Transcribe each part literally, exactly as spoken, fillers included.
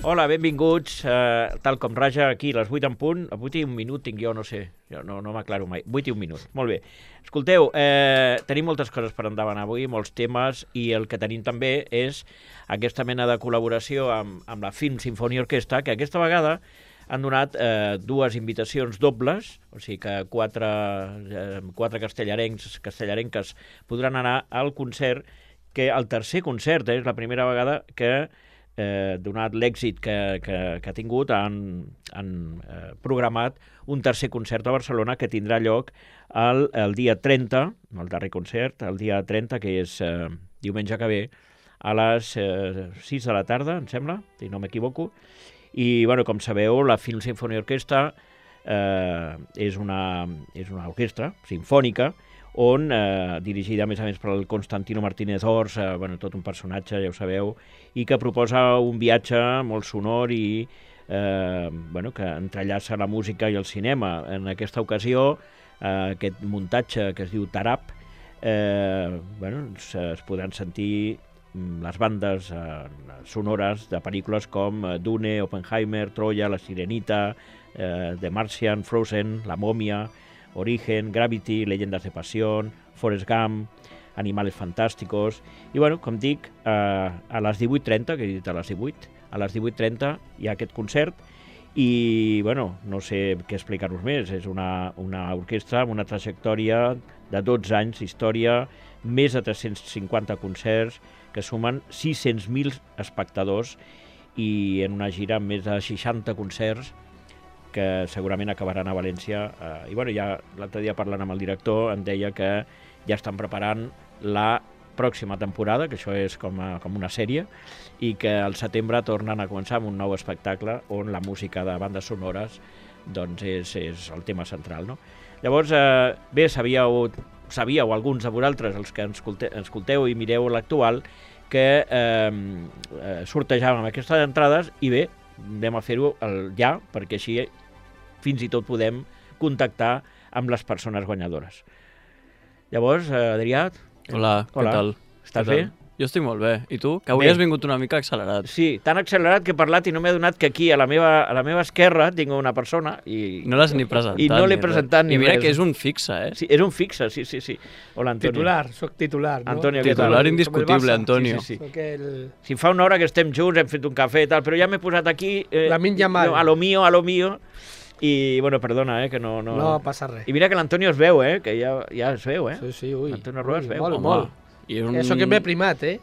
Hola, benvinguts. Uh, tal com raja aquí, les vuit en punt. A vuit i un minut tinc jo, no sé. Jo no, no m'aclaro mai. vuit i un minut. Molt bé. Escolteu, eh, tenim moltes coses per endavant avui, molts temes, i el que tenim també és aquesta mena de col·laboració amb, amb la Film Sinfonia Orquestra, que aquesta vegada han donat eh, dues invitacions dobles, o sigui que quatre, eh, quatre castellarencs, castellarenques podran anar al concert, que el tercer concert eh, és la primera vegada que, eh, donat l'èxit que, que, que ha tingut, han, han eh, programat un tercer concert a Barcelona que tindrà lloc el, el dia trenta, el darrer concert, el dia trenta, que és eh, diumenge que ve, a les eh, sis de la tarda, em sembla, si no m'equivoco. I, bueno, com sabeu, la Film Sinfonia Orquestra eh, és, una, és una orquestra sinfònica on, eh, dirigida a més a més per el Constantino Martínez Ors, eh, bueno, tot un personatge, ja ho sabeu, i que proposa un viatge molt sonor i eh, bueno, que entrellaça la música i el cinema. En aquesta ocasió, eh, aquest muntatge que es diu Tarap, eh, bueno, es, es podran sentir les bandes eh, sonores de pel·lícules com Dune, Oppenheimer, Troya, La Sirenita, eh, The Martian, Frozen, La Momia, Origen, Gravity, Leyendas de Pasión, Forrest Gump, Animales Fantásticos. I, bueno, com dic, eh, a les divuit trenta, que he dit a les divuit, a les divuit trenta hi ha aquest concert i, bueno, no sé què explicar-vos més. És una, una orquestra amb una trajectòria de dotze anys d'història, més de tres-cents cinquanta concerts, que sumen sis-cents mil espectadors i en una gira amb més de seixanta concerts que segurament acabaran a València. Eh, I bueno, ja l'altre dia parlant amb el director em deia que ja estan preparant la pròxima temporada, que això és com, a, com una sèrie, i que al setembre tornen a començar amb un nou espectacle on la música de bandes sonores doncs és, és el tema central, no? Llavors, eh, bé, sabíeu, sabíeu alguns de vosaltres, els que ens escolteu, escolteu i mireu l'actual, que eh, eh, sortejàvem aquestes entrades i bé, anem a fer-ho ja, perquè així fins i tot podem contactar amb les persones guanyadores. Llavors, eh, Adrià... Hola, Hola, què tal? Estàs què bé? Tal? Jo estic molt bé. I tu? Que avui bé. Has vingut una mica accelerat. Sí, tan accelerat que he parlat i no m'he adonat que aquí, a la meva, a la meva esquerra, tinc una persona i... No l'has ni presentat. I no l'he presentat ni res. I mira res. que és un fixe, eh? Sí, és un fixe, sí, sí, sí. Hola, Antonio. Titular, soc titular, no? Antonio, titular tal? indiscutible, Antonio. Sí, sí, sí. Soc el... Si fa una hora que estem junts, hem fet un cafè i tal, però ja m'he posat aquí... Eh, La min Yamal. A lo mío, a lo mío. I, bueno, perdona, eh, que no... No, no passa res. I mira que l'Antonio es veu, eh, que ja, ja es veu, eh. Sí, sí, ui. L'Antonio Roa es veu. Molt, Home, molt. I un... Això que m'he primat, eh?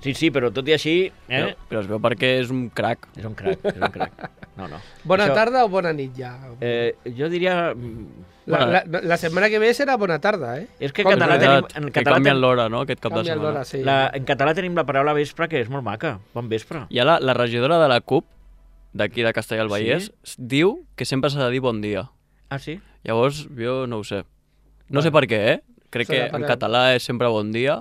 Sí, sí, però tot i així... Eh? Però, però es veu perquè és un crac. És un crac, és un crac. No, no. Bona Això, tarda o bona nit, ja? Eh, jo diria... La, la, la setmana que ve serà bona tarda, eh? És que en Com català que- tenim... En que català, canvien ten... l'hora, no?, aquest cap de Canvia setmana. l'hora, sí. la, en català tenim la paraula vespre, que és molt maca. Bon vespre. Hi ha la, la regidora de la C U P, d'aquí de Castellà del Vallès, Sí? diu que sempre s'ha de dir bon dia. Ah, sí? Llavors, jo no ho sé. No Bueno. sé per què, eh? Crec Serà que en per- català és sempre bon dia,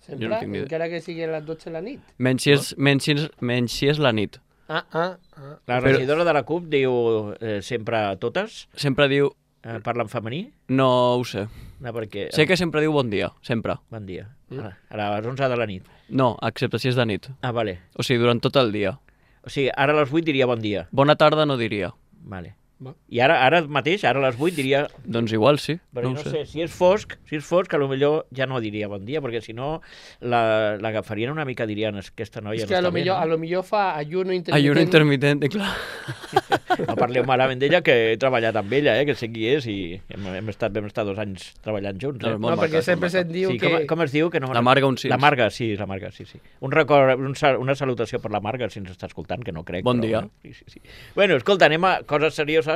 Sempre, jo no tinc ni idea. encara que sigui a les dotze de la nit. menys si és, menys si és, menys si és la nit. Ah, ah, ah. La Però- regidora de la C U P diu eh, sempre totes, Sempre diu... eh, parla en femení, No ho sé. no, perquè... Sé que sempre diu bon dia, sempre. Bon dia. Mm. Ara, a les onze de la nit. No, excepte si és de nit. Ah, vale. O sigui, durant tot el dia. O sigui, ara a les vuit diria bon dia. Bona tarda no diria. Vale. Va. I ara ara mateix, ara a les vuit diria... Doncs igual sí, Perquè no no, ho sé. sé, si és fosc, si és fosc, a lo millor ja no diria bon dia, perquè si no la- l'agafarien una mica, dirien, "Es- aquesta noia És que no a està lo, bé, millor, a no? lo millor fa ayuno intermitent. Ayuno intermitente, clar. No parleu malament d'ella, que he treballat amb ella, eh, que sé qui és, i hem, hem, estat, vam estar dos anys treballant junts. No, Eh? és No, molt perquè maca, sempre molt maca. se't diu Sí, que... com, com es diu? Que no La Marga Uncins. La Marga, sí, la Marga, sí, sí. Un record, un, sal- una salutació per la Marga, si ens està escoltant, que no crec. Bon però, dia. Bueno, sí, sí, sí. Bueno, escolta, anem a coses serioses,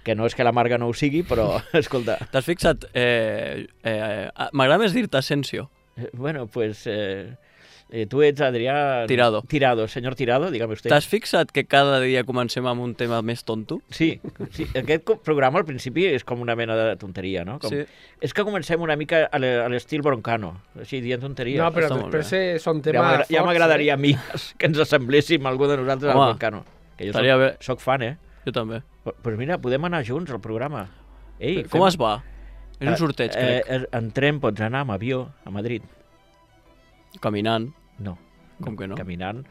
que no és que la Marga no ho sigui, però, escolta, T'has fixat? Eh, eh, eh, M'agrada més dir-te Asensio. eh, bueno, pues... Eh, eh, tu ets Adrià... Tirado. Tirado, senyor Tirado, dígame usted. T'has fixat que cada dia comencem amb un tema més tonto? Sí, sí, aquest co- programa al principi és com una mena de tonteria, no? Com... Sí. És que comencem una mica a l'e- a l'estil broncano, així dient tonteries. No, però Està molt després bé. eh, són ja temes m'agra- forts. ja m'agradaria eh? a mi que ens assembléssim algú de nosaltres Home, al broncano. Que jo estaria soc, bé. soc fan, eh? Jo també. Doncs pues mira, podem anar junts al programa. Ei, Com es va? És un sorteig, eh, crec. Eh, en tren pots anar amb avió a Madrid. Caminant. No. Com que no? Caminant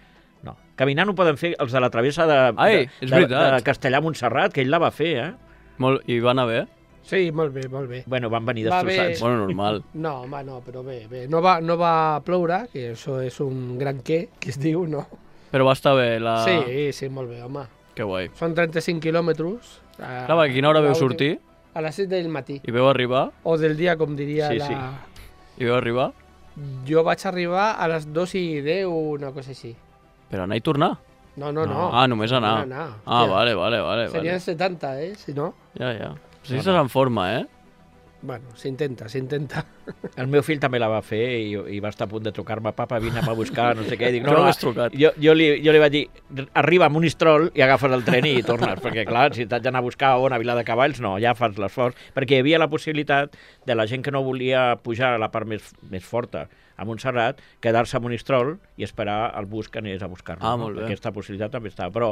no. Caminant ho poden fer els de la travessa de, Ai, de, és de, veritat. de Castellà a Montserrat, que ell la va fer, eh? Molt... I va anar bé? Sí, molt bé, molt bé. Bueno, van venir Va bé. destrossats. Bueno, normal. No, home, no, però bé, bé. No va, no va ploure, que això és un gran què, que es diu, no? Però va estar bé la... Sí, sí, molt bé, home. Que guai. Són trenta-cinc quilòmetres. A, Clar, a quina hora veu sortir? A les set del matí. I veu arribar? O del dia, com diria Sí, la... sí. I veu arribar? Jo vaig arribar a les dos i deu, una cosa així. Per anar i tornar? No, no, no. Ah, només anar. Només anar. Ah, Hòstia, vale, vale, vale. Serien vale. setanta, eh, si no. Ja, ja. Si estàs en forma, eh? Bueno, s'intenta, s'intenta. El meu fill també la va fer i, i va estar a punt de trucar-me, papa, vine a buscar, no sé què. Dic, Tu no, no, l'has trucat. jo, jo, li, jo li vaig dir, arriba a Monistrol i agafes el tren i tornes, perquè clar, si t'has d'anar a buscar on a Vila de Cavalls, no, ja fas l'esforç, perquè hi havia la possibilitat de la gent que no volia pujar a la part més, més forta, a Montserrat, quedar-se a Monistrol i esperar el bus que anés a buscar-lo. Ah, no? molt bé. Aquesta possibilitat també estava. Però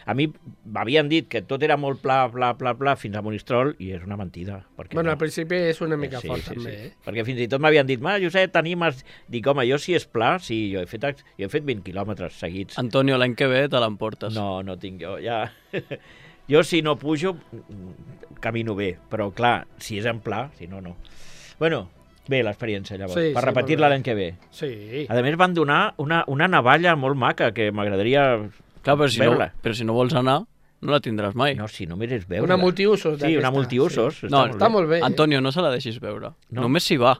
a mi m'havien dit que tot era molt pla, pla, pla, pla, fins a Monistrol, i és una mentida. Perquè Bueno, no. al principi és una mica Sí, fort, sí, també, sí. eh? Perquè fins i tot m'havien dit, ma, Josep, t'animes? Dic, home, jo si és pla, sí, jo he fet, jo he fet vint quilòmetres seguits. Antonio, l'any que ve te l'emportes. No, no tinc jo, ja... Jo si no pujo, camino bé, però clar, si és en pla, si no, no. Bueno, bé l'experiència, llavors, Sí, per sí, repetir-la molt bé. l'any que ve. Sí. A més, van donar una, una navalla molt maca, que m'agradaria Clar, però si, no, veure-la. però si no vols anar, no la tindràs mai. No, si només és veure. Una multiusos Sí, una d'aquesta, multiusos. sí. Està, No, molt Està bé. molt bé, eh? Antonio, no se la deixis veure. No. Només s'hi va.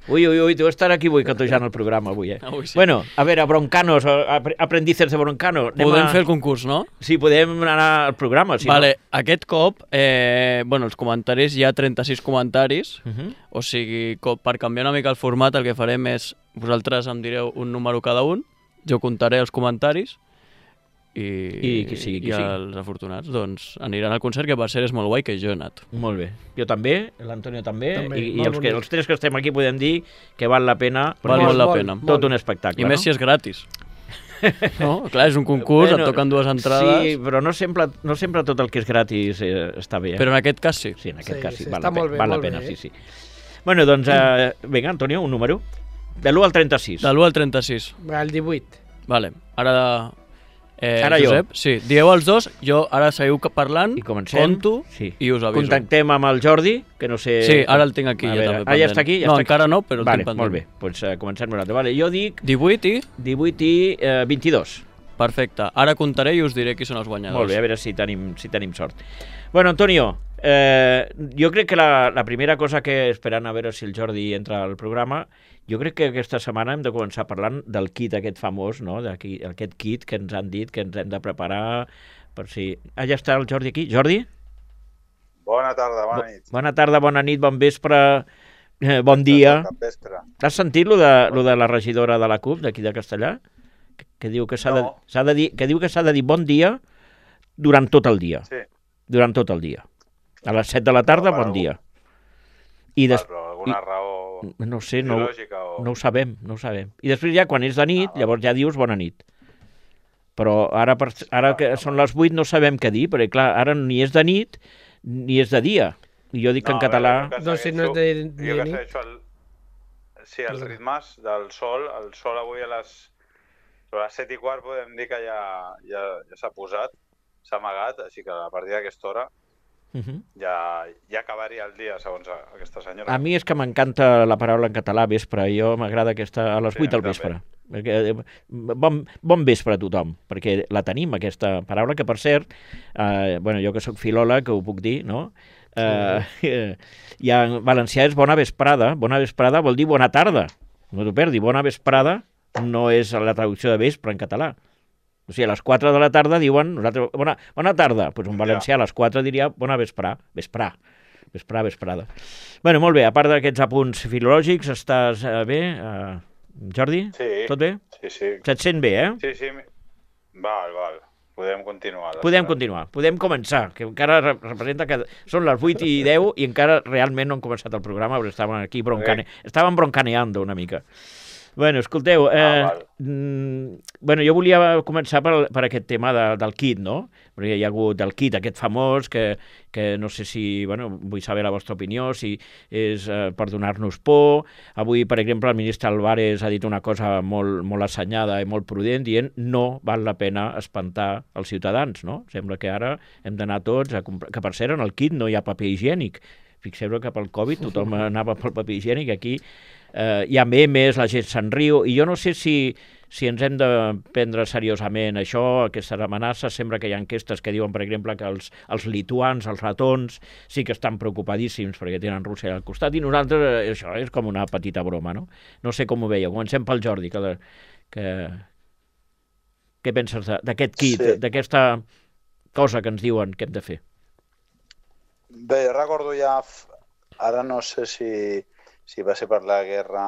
Ui, ui, ui, tu estar aquí boicotejant el programa avui, eh? Avui sí. Bueno, a veure, broncanos, ap- aprendices de broncano. Anem Podem a... fer el concurs, no? Sí, podem anar al programa, si vale, aquest cop, eh, bueno, els comentaris, hi ha trenta-sis comentaris, no. Uh -huh. o sigui, co- per canviar una mica el format, el que farem és, vosaltres em direu un número cada un, jo comptaré els comentaris, i, I qui sigui, qui i sigui. els afortunats doncs, aniran al concert, que per ser és molt guai, que jo he anat. Molt bé. Jo també, l'Antonio també, També, i, i molt els, que, bonic. els tres que estem aquí podem dir que val la pena, Val perquè molt és la molt, pena. molt. tot un espectacle, I més no? si és gratis. No? Clar, és un concurs, et toquen dues entrades, Sí, però no sempre, no sempre tot el que és gratis eh, està bé. Eh? però en aquest cas sí. Sí, en aquest Sí, cas sí, sí, val, està la, pena, molt bé, val la molt pena, bé, sí, eh? sí. Bueno, doncs, eh, vinga, Antonio, un número. De l'u al trenta-sis. De l'u al trenta-sis. El divuit. Vale, ara... Eh, Ara jo. Josep, sí, dieu els dos, jo ara seguiu ca- parlant, I comencem. conto Sí. i us aviso. Contactem amb el Jordi, que no sé... Sí, ara el tinc aquí, A ja veure, també Ah, ja pendent. està aquí? Ja No, està encara aquí? no, però el vale, tinc pendent. Molt bé, doncs uh, comencem nosaltres. Vale, jo dic divuit i... divuit i eh, vint-i-dos. Perfecte. Ara comptaré i us diré qui són els guanyadors. Molt bé, a veure si tenim, si tenim sort. Bueno, Antonio, eh, jo crec que la, la primera cosa que, esperant a veure si el Jordi entra al programa, jo crec que aquesta setmana hem de començar parlant del kit aquest famós, no? D'aquí, aquest kit que ens han dit que ens hem de preparar per si... Ah, ja està el Jordi aquí. Jordi? Bona tarda, bona nit. Bona tarda, bona nit, bon vespre, eh, bon dia. Cap vespre. Has sentit lo de, lo de la regidora de la CUP d'aquí de Castellà? Que, que diu que s'ha de, No. s'ha de dir, que diu que s'ha de dir bon dia durant tot el dia. Sí. Durant tot el dia. A les set de la tarda, No, per bon algú- dia. I Val, des... però alguna i- raó No sé, no, biològica o... no ho sabem, no ho sabem. I després ja, quan és de nit, Ah, val. llavors ja dius bona nit. Però ara, per, ara que són les vuit no sabem què dir, perquè clar, ara ni és de nit ni és de dia. I jo dic que en a veure, català... jo que Doncs si no és segueixo- de- Jo de que nit. segueixo el... Sí, els Perdona. ritmes del sol. El sol avui a les... A les set i quart podem dir que ja, ja, ja s'ha posat, s'ha amagat, així que a partir d'aquesta hora Uh -huh. ja, ja acabaria el dia, segons a- aquesta senyora. A mi és que m'encanta la paraula en català, vespre. Jo m'agrada aquesta a les Sí, vuit a del mi vespre. Perquè, eh, bon, bon vespre a tothom, perquè la tenim, aquesta paraula, que per cert, eh, bueno, jo que sóc filòleg, que ho puc dir, no? Eh, i en valencià és bona vesprada. Bona vesprada vol dir bona tarda. No t'ho perdi. Bona vesprada no és la traducció de vespre en català. O sigui, a les quatre de la tarda diuen nosaltres, bona, bona tarda. Doncs pues un valencià a les quatre diria bona vesprà, vesprà, vesprà, vesprada. Bueno, molt bé, a part d'aquests apunts filològics, estàs eh, bé, eh, Jordi? Sí, Tot bé? sí, sí. Se't sent bé, eh? Sí, sí. Val, val. Podem continuar. Podem continuar, podem començar, que encara re- representa que són les vuit i deu i encara realment no hem començat el programa, perquè estàvem aquí broncane... estàvem broncaneando una mica. Bueno, escolteu, eh, Ah, val. mm, bueno, jo volia començar per, per aquest tema de, del kit, no? Perquè hi ha hagut el kit aquest famós que, que no sé si, bueno, vull saber la vostra opinió, si és eh, per donar-nos por. Avui, per exemple, el ministre Álvarez ha dit una cosa molt, molt assenyada i molt prudent, dient no val la pena espantar els ciutadans, no? Sembla que ara hem d'anar tots a comprar... Que, per cert, en el kit no hi ha paper higiènic. Fixeu-vos que pel Covid tothom anava pel paper higiènic, aquí eh, hi ha memes, la gent se'n riu, i jo no sé si, si ens hem de prendre seriosament això, aquestes amenaces. Sembla que hi ha enquestes que diuen, per exemple, que els, els lituans, els ratons, sí que estan preocupadíssims perquè tenen Rússia al costat, i nosaltres eh, això és com una petita broma, no? No sé com ho veieu. Comencem pel Jordi, que... La, que què penses d'aquest kit, Sí. d'aquesta cosa que ens diuen que hem de fer? Bé, jo recordo ja, f- ara no sé si, si va ser per la guerra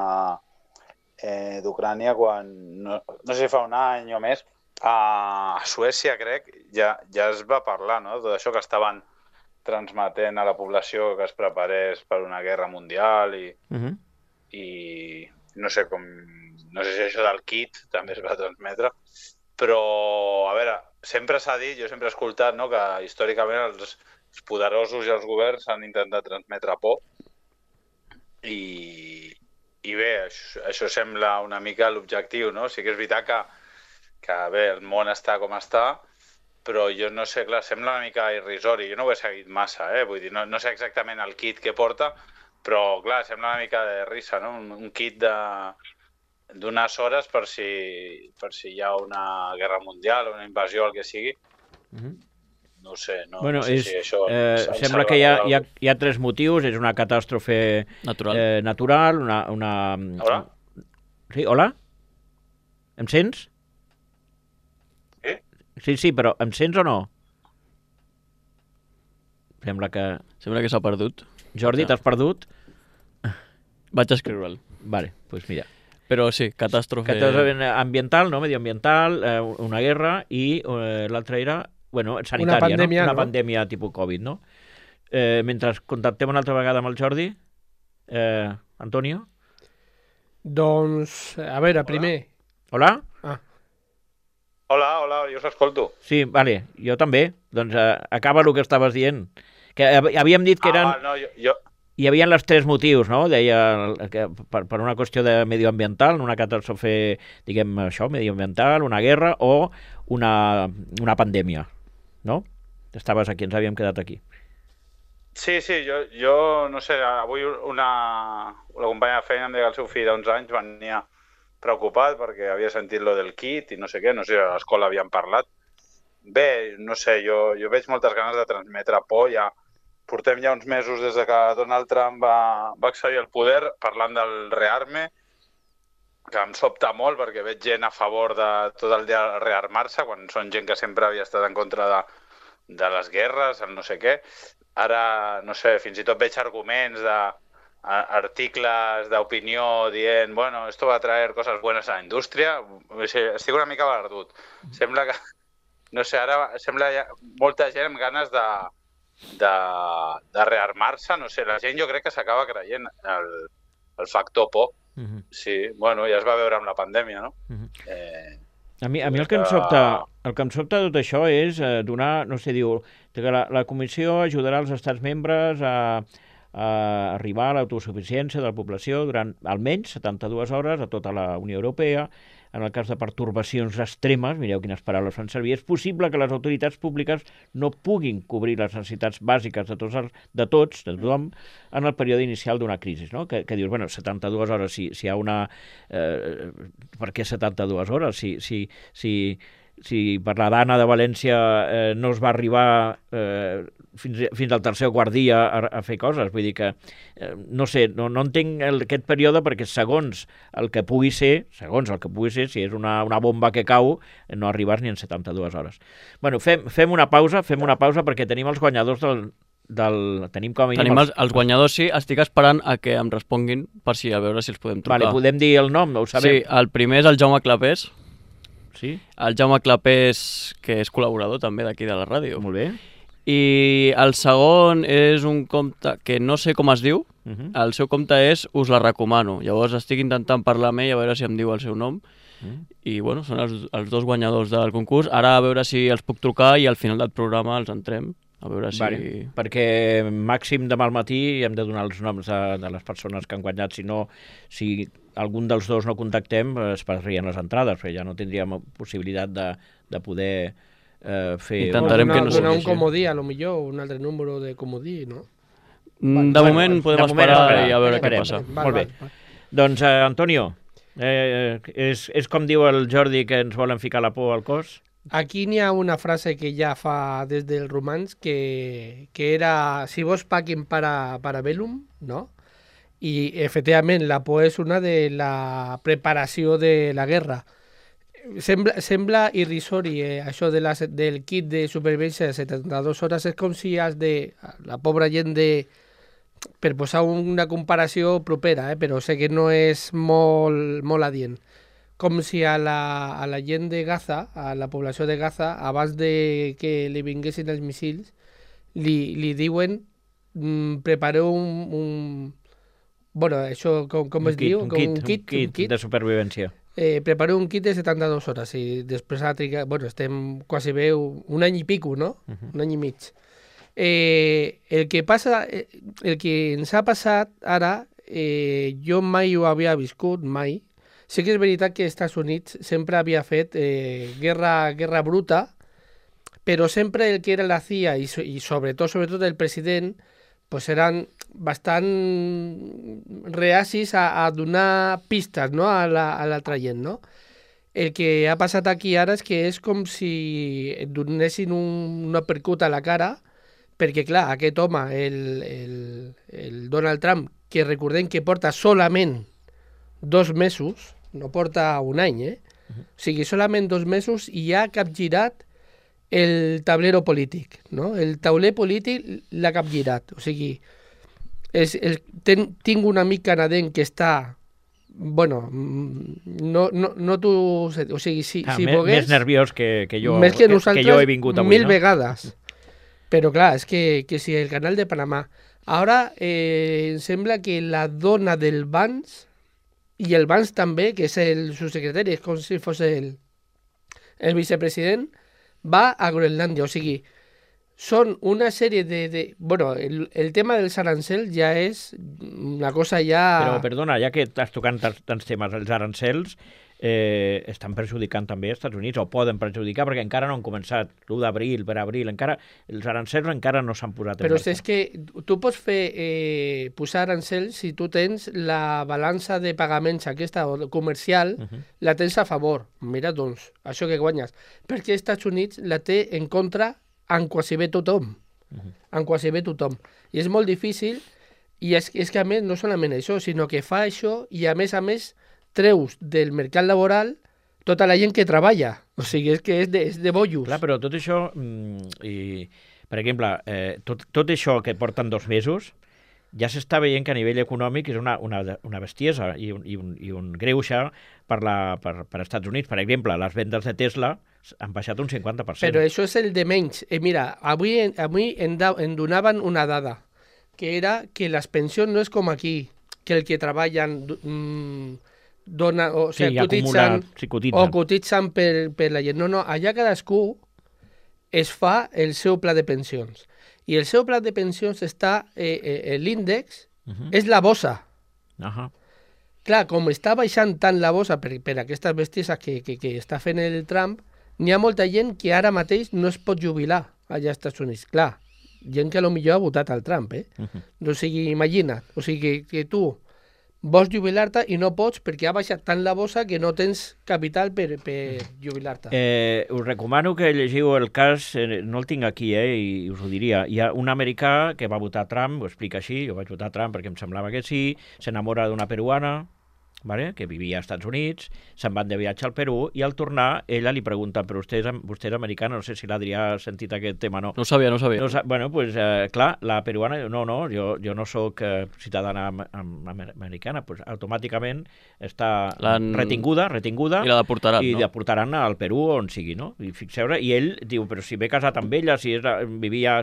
eh, d'Ucrània, quan, no, no sé si fa un any o més, a Suècia, crec, ja, ja es va parlar, no?, de tot això que estaven transmetent a la població que es preparés per una guerra mundial i, Uh -huh. i no sé com, no sé si això del kit també es va transmetre, però, a veure, sempre s'ha dit, jo sempre he escoltat, no?, que històricament els, els poderosos i els governs han intentat transmetre por i, i bé, això, això sembla una mica l'objectiu, no? Sí que és veritat que, que bé, el món està com està, però jo no sé, clar, sembla una mica irrisori. Jo no ho he seguit massa, eh? Vull dir, no, no sé exactament el kit que porta, però, clar, sembla una mica de risa, no? Un, un kit de d'unes hores per si, per si hi ha una guerra mundial o una invasió o el que sigui. Uh -huh. No ho sé, no, Bueno, no sé és, si això... eh, ens- ens sembla que hi ha, salvarà hi, ha, d'algú. hi ha tres motius. És una catàstrofe Natural. eh, natural, una, una... Hola? Sí, hola? Em sents? Sí? Sí, sí, però em sents o no? Sembla que... Sembla que s'ha perdut. Jordi, t'has perdut? Vaig escriure'l. Vale, doncs pues mira. Però sí, catàstrofe... Catàstrofe ambiental, no? Medioambiental, eh, una guerra, i eh, l'altra era, bueno, sanitària, Una pandèmia, no? Una no? pandèmia tipus Covid, no? Eh, mentre contactem una altra vegada amb el Jordi, eh, Antonio? Doncs, a veure, primer... Hola? Ah, Hola, hola, jo us escolto. Sí, vale, jo també. Doncs eh, acaba el que estaves dient. Que hav- havíem dit que eren... Ah, val, no, jo, jo... Hi havia els tres motius, no? Deia el- que per, per una qüestió de medioambiental, una catàstrofe, diguem això, medioambiental, una guerra o una, una pandèmia, no? Estaves aquí, ens havíem quedat aquí. Sí, sí, jo, jo no sé, avui una, una companya de feina em deia que el seu fill d'onze anys venia preocupat perquè havia sentit lo del kit i no sé què, no sé si a l'escola havien parlat. Bé, no sé, jo, jo veig moltes ganes de transmetre por. Ja portem ja uns mesos des de que Donald Trump va, va accedir al poder parlant del rearme, que em sobta molt perquè veig gent a favor de tot el dia rearmar-se, quan són gent que sempre havia estat en contra de, de les guerres, el no sé què. Ara, no sé, fins i tot veig arguments de a- articles d'opinió dient, bueno, esto va a traer cosas buenas a la indústria. O sigui, estic una mica perdut. Sembla que, no sé, ara sembla hi ha molta gent amb ganes de, de, de rearmar-se, no sé, la gent jo crec que s'acaba creient el, el factor por. Uh -huh. Sí, bueno, ja es va veure amb la pandèmia, no? Uh -huh. Eh, A mi, a mi el que em que- sobta, el que em sobta de tot això és eh, donar, no sé, diu, que la, la comissió ajudarà els estats membres a, a arribar a l'autosuficiència de la població durant almenys setanta-dues hores a tota la Unió Europea. En el cas de pertorbacions extremes, mireu quines paraules fan servir, és possible que les autoritats públiques no puguin cobrir les necessitats bàsiques de tots, els, de tots, de tothom, en el període inicial d'una crisi, no? Que, que dius, bueno, setanta-dues hores, si, si hi ha una... Eh, per què setanta-dues hores? Si, si, si, si per la Dana de València eh, no es va arribar eh, fins, fins al tercer o quart dia a, a fer coses, vull dir que eh, no sé, no, no entenc el, aquest període, perquè segons el que pugui ser, segons el que pugui ser, si és una, una bomba que cau, no arribes ni en setanta-dues hores. Bueno, fem, fem una pausa, fem una pausa perquè tenim els guanyadors del... del tenim com a mínim... Tenim els, els guanyadors, sí. Estic esperant a que em responguin per si a veure si els podem trucar. Vale, podem dir el nom, ho sabem. Sí, el primer és el Jaume Clapés. Sí? El Jaume Clapés, que és col·laborador també d'aquí de la ràdio. Molt bé. I el segon és un compte que no sé com es diu, Uh -huh. el seu compte és Us la recomano. Llavors estic intentant parlar amb ell a veure si em diu el seu nom. Mm. I bueno, són els, els dos guanyadors del concurs. Ara a veure si els puc trucar i al final del programa els entrem. A veure si... Vale. Perquè màxim demà al matí hem de donar els noms de, de les persones que han guanyat. Si no, si algun dels dos no contactem, es perdrien les entrades, perquè ja no tindríem possibilitat de, de poder eh, fer... Intentarem donar, que no donar sigui un comodí, a lo millor, un altre número de comodí, no? Mm, De Bueno, moment podem de moment esperar esperar. i a veure Esperem. què passa. Val, Molt val, bé. val. Doncs, eh, Antonio, eh, és, és com diu el Jordi que ens volen ficar la por al cos? Aquí n'hi ha una frase que ja fa des del romans que, que era si vos paquen para, para bellum, no? I efectivament la por és una de la preparació de la guerra. Sembla, sembla irrisori eh, això de la, del kit de supervivència de setanta-dues hores. És com si has de... La pobra gent de... Per posar una comparació propera, eh, però sé que no és molt, molt adient. Com si a la, a la gent de Gaza, a la població de Gaza, abans de que li vinguessin els missils, li, li diuen mm, prepareu un, un... Bueno, això com, com es kit, diu? Un Com kit, un kit, un kit, un kit. de supervivència. Eh, prepareu un kit de setanta-dues hores i després ha trigat... Bueno, estem quasi bé un, un any i pico, no? Uh -huh. Un any i mig. Eh, el que passa, eh, el que ens ha passat ara, eh, jo mai ho havia viscut, mai. Sí que és veritat que als Estats Units sempre havia fet eh, guerra, guerra bruta, però sempre el que era la C I A i, so- i sobretot, sobretot el president, pues eren bastant reacis a, a donar pistes, no? a la- a l'altra gent, no? El que ha passat aquí ara és que és com si et donessin un, un uppercut a la cara, perquè, clar, aquest home, el, el, el Donald Trump, que recordem que porta solament dos mesos, no porta un any, eh? O sigui, solament dos mesos i ja ha capgirat el tablero polític, no? El tauler polític l'ha capgirat. O sigui, és, és, ten, tinc un amic canadenc que està... Bueno, mm, no, no, no t'ho sé, o sigui, si, Ah, si me- volgués... Més nerviós que, que jo, Més que que, nosaltres, que jo he vingut avui, mil no? vegades. Però clar, és que, que si el canal de Panamà... Ara eh, em sembla que la dona del Vance, i el Vance també, que és el subsecretari, és com si fos el, el vicepresident, va a Groenlàndia. O sigui, són una sèrie de... de bueno, el, el tema dels arancels ja és una cosa ja... Però, perdona, ja que estàs tocant tants, tants temes, els arancels eh, estan perjudicant també als Estats Units, o poden perjudicar, perquè encara no han començat l'u d'abril, per abril, encara els arancels encara no s'han posat en Però marxa. és que tu pots fer eh, posar arancels si tu tens la balança de pagaments aquesta o comercial, Uh -huh. la tens a favor. Mira, doncs, això que guanyes. Perquè els Estats Units la té en contra en quasi bé tothom. Uh -huh. En quasi bé tothom. I és molt difícil, i és, és que a més no solament això, sinó que fa això i a més a més treus del mercat laboral tota la gent que treballa. O sigui, és que és de, és de bollos. Clar, però tot això, mm, i, per exemple, eh, tot, tot això que porten dos mesos, ja s'està veient que a nivell econòmic és una, una, una bestiesa i un, i un, i un greuge per, la, per, per Estats Units. Per exemple, les vendes de Tesla han baixat un cinquanta per cent. Però això és el de menys. Eh, mira, avui, avui em, da, em donaven una dada, que era que les pensions no és com aquí, que el que treballen mm, dona, o, Sí, sigui, ja cotitzen, acumula, sí, cotitzen. o cotitzen per, per la gent. No, no, allà cadascú es fa el seu pla de pensions. I el seu pla de pensions està, eh, eh, l'índex Uh -huh. és la bossa. Uh -huh. Clar, com està baixant tant la bossa per, per aquestes bestieses que, que, que està fent el Trump, n'hi ha molta gent que ara mateix no es pot jubilar allà als Estats Units. Clar, gent que a lo millor ha votat al Trump, eh? Uh -huh. O sigui, imagina't, o sigui, que, que tu vols jubilar-te i no pots perquè ha baixat tant la bossa que no tens capital per, per jubilar-te. Eh, us recomano que llegiu el cas, eh, no el tinc aquí, eh, i us ho diria. Hi ha un americà que va votar Trump, ho explica així, jo vaig votar Trump perquè em semblava que sí, s'enamora d'una peruana, vale? Que vivia als Estats Units, se'n van de viatge al Perú, i al tornar ella li pregunta, però vostè és, vostè és americana, no sé si l'Adrià ha sentit aquest tema, no? No ho sabia, no ho sabia. No, sa- bueno, pues, eh, clar, la peruana diu, no, no, jo, jo no sóc eh, ciutadana am am americana, pues, automàticament està L'han- retinguda, retinguda, I la deportaran, i no? deportaran al Perú on sigui, no? I fixeu i ell diu, però si m'he casat amb ella, si és, vivia...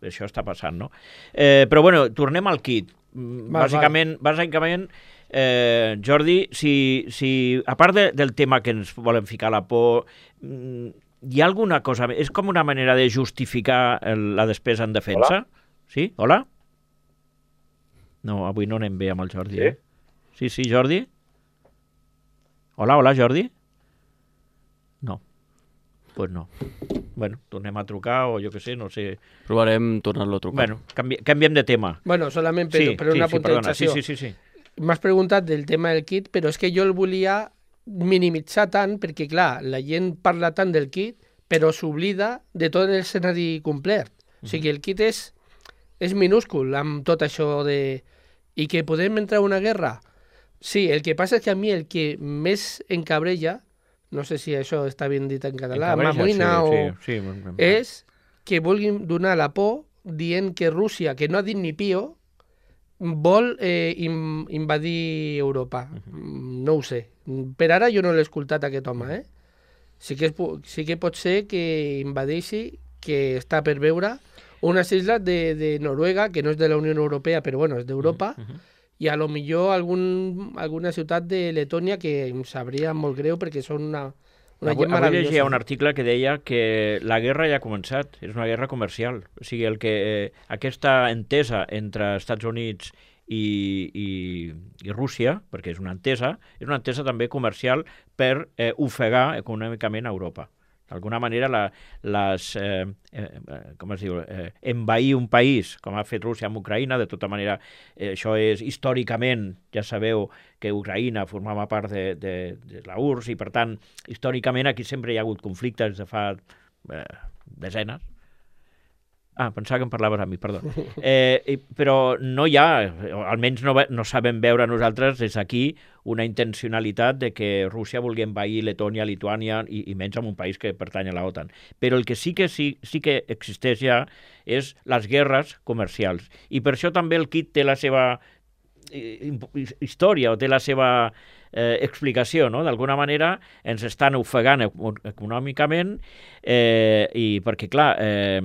Això està passant, no? Eh, però bueno, tornem al kit. Mm, Val, Bàsicament, bàsicament eh, Jordi, si, si a part de, del tema que ens volen ficar la por, mm, hi ha alguna cosa... És com una manera de justificar el, la despesa en defensa? Hola? Sí? Hola? No, avui no anem bé amb el Jordi, Sí? eh? Sí, sí, Jordi? Hola, hola, Jordi? No. Pues no. Bueno, tornem a trucar o jo què sé, no sé... Provarem tornar-lo a trucar. Bueno, canvi, canviem de tema. Bueno, solament per, Sí, per sí, una sí, perdona. Sí, puntualització. sí, sí, sí. M'has preguntat del tema del kit, però és que jo el volia minimitzar tant, perquè, clar, la gent parla tant del kit, però s'oblida de tot l'escenari complet. O sigui, el kit és, és minúscul amb tot això de... I que podem entrar a una guerra? Sí, el que passa és que a mi el que més encabrella, no sé si això està ben dit en català, Encabreja, m'amoïna sí, o... sí, sí. és que vulguin donar la por dient que Rússia, que no ha dit ni pío, vol eh, in, invadir Europa. Mm, No ho sé. Per ara jo no l'he escoltat aquest home, eh? Sí que, és, po- sí que pot ser que invadeixi, que està per veure unes isles de, de Noruega, que no és de la Unió Europea, però bueno, és d'Europa, i a lo millor algun, alguna ciutat de Letònia que em sabria molt greu perquè són una, una Avui, gent avui meravellosa. llegia un article que deia que la guerra ja ha començat, és una guerra comercial. O sigui, el que, eh, aquesta entesa entre Estats Units i, i, i Rússia, perquè és una entesa, és una entesa també comercial per eh, ofegar econòmicament a Europa. D'alguna manera, la, les, eh, eh, com es diu, eh, envair un país, com ha fet Rússia amb Ucraïna, de tota manera, eh, això és històricament, ja sabeu que Ucraïna formava part de, de, de la U R S S i, per tant, històricament aquí sempre hi ha hagut conflictes de fa eh, desenes. Ah, pensava que em parlaves a mi, perdó. Eh, i- però no hi ha, o almenys no, ve- no sabem veure nosaltres des d'aquí una intencionalitat de que Rússia vulgui envair Letònia, Lituània i, i menys en un país que pertany a la OTAN. Però el que sí que, sí, sí que existeix ja és les guerres comercials. I per això també el kit té la seva eh, imp- història o té la seva eh, explicació, no? D'alguna manera ens estan ofegant eco- econòmicament eh, i perquè, clar, eh,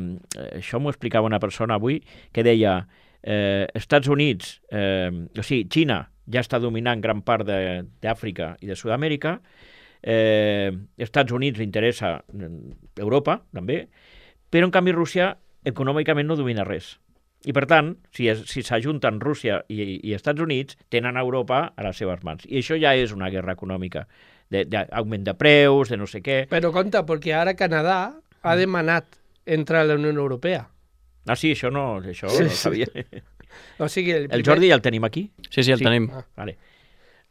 això m'ho explicava una persona avui que deia eh, Estats Units, eh, o sigui, Xina ja està dominant gran part de- d'Àfrica i de Sud-amèrica, eh, Estats Units li interessa mm, Europa, també, però en canvi Rússia econòmicament no domina res. I per tant, si es- si s'ajunten Rússia i, i Estats Units, tenen Europa a les seves mans. I això ja és una guerra econòmica, de- d'augment de, de preus, de no sé què. Però compte, perquè ara Canadà ha demanat entrar a la Unió Europea. Ah, sí, això no, això Sí, no sí. ho sabia. O sigui, el, El primer- Jordi ja el tenim aquí? Sí, sí, el Sí. tenim. Ah. Vale.